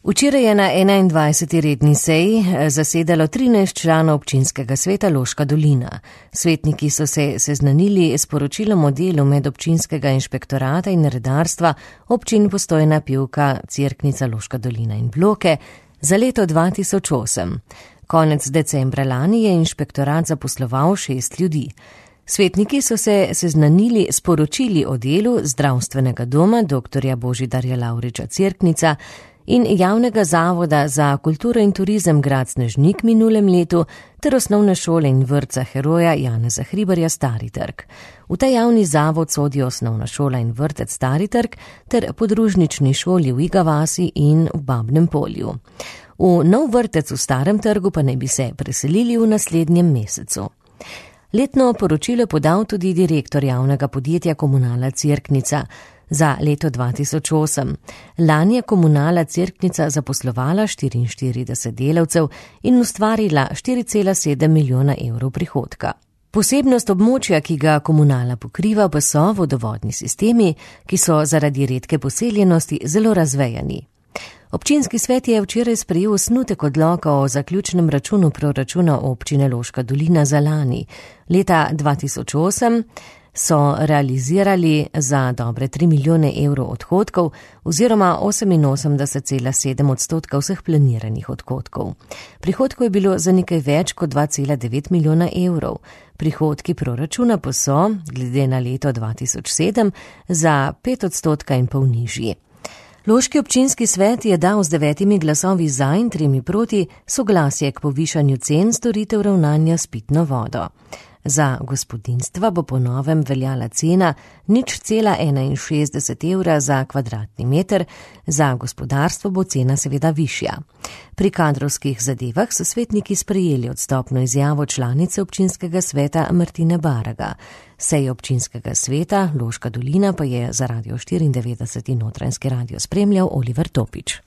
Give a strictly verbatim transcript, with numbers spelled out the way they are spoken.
Včeraj je na enaindvajseti redni seji zasedalo trinajst članov občinskega sveta Loška dolina. Svetniki so se seznanili s poročilom o delu medobčinskega inšpektorata in redarstva občin Postojna, Pivka, Cerknica, Loška dolina in Bloke za leto dva tisoč osem. Konec decembra lani je inšpektorat zaposloval šest ljudi. Svetniki so se seznanili s poročili o delu zdravstvenega doma doktorja Božidarja Lavriča Cerknica in javnega zavoda za kulturo in turizem Grad Snežnik minulem letu ter osnovne šole in vrtca heroja Janeza Hribarja Stari trg. V ta javni zavod sodijo osnovna šola in vrtec Stari trg ter podružnični šoli v Iga vasi in v Babnem Polju. V nov vrtec v Starem trgu pa naj bi se preselili v naslednjem mesecu. Letno poročilo podal tudi direktor javnega podjetja Komunala Cerknica za leto dva tisoč osem. Lani je Komunala Cerknica zaposlovala štiriinštirideset delavcev in ustvarila štiri cela sedem milijona evrov prihodka. Posebnost območja, ki ga Komunala pokriva, pa so vodovodni sistemi, ki so zaradi redke poseljenosti zelo razvejani. Občinski svet je včeraj sprejel osnutek odloka o zaključnem računu proračuna občine Loška dolina za lani. Leta dva tisoč osem so realizirali za dobre tri milijone evrov odhodkov oziroma oseminosemdeset cela sedem odstotka vseh planiranih odhodkov. Prihodkov je bilo za nekaj več kot dva cela devet milijona evrov. Prihodki proračuna pa so, glede na leto dva tisoč sedem, za pet odstotka in pol nižji. Loški občinski svet je dal z devetimi glasovi za in tremi proti soglasje k povišanju cen storitev ravnanja s pitno vodo. Za gospodinjstva bo po novem veljala cena nič cela enainšestdeset evra za kvadratni meter, za gospodarstvo bo cena seveda višja. Pri kadrovskih zadevah so svetniki sprejeli odstopno izjavo članice občinskega sveta Martine Baraga. Sej občinskega sveta Loška dolina pa je za Radio štiriindevetdeset in Notranjski radio spremljal Oliver Topič.